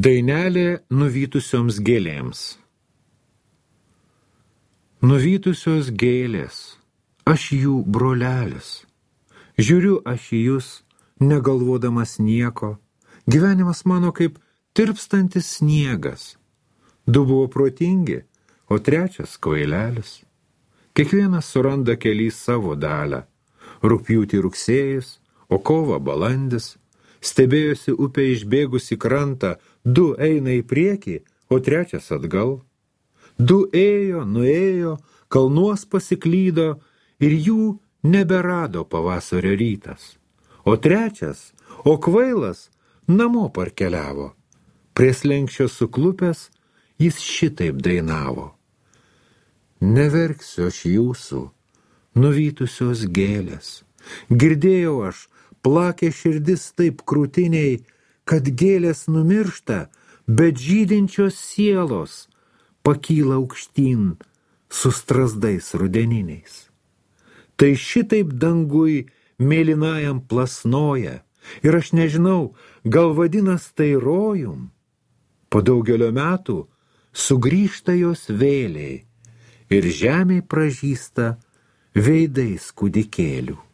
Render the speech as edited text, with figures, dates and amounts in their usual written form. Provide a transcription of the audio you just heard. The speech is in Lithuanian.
Dainelė nuvytusioms gėlėms. Nuvytusios gėlės, aš jų brolelis. Žiūriu aš į jūs, negalvodamas nieko. Gyvenimas mano kaip tirpstantis sniegas. Du buvo protingi, o trečias kvailelis. Kiekvienas suranda kely savo dalę. Rugpjūtį rugsėjis, o kovą balandis. Stebėjosi upė išbėgusi krantą, du eina į priekį, o trečias atgal. Du ėjo, nuėjo, kalnuos pasiklydo ir jų neberado pavasario rytas. O trečias, o kvailas, namo parkeliavo. Prie slenksčio suklupęs, jis šitaip dainavo. Neverksiu aš jūsų, nuvytusios gėlės. Girdėjau aš, plakė širdis taip krūtiniai, kad gėlės numiršta, bet žydinčios sielos pakyla aukštyn su strazdais rudeniniais. Tai šitaip dangui mėlynajam plasnoja, ir aš nežinau, gal vadinas tai rojum. Po daugelio metų sugrįžta jos vėliai ir žemėj pražysta veidais kūdikėlių.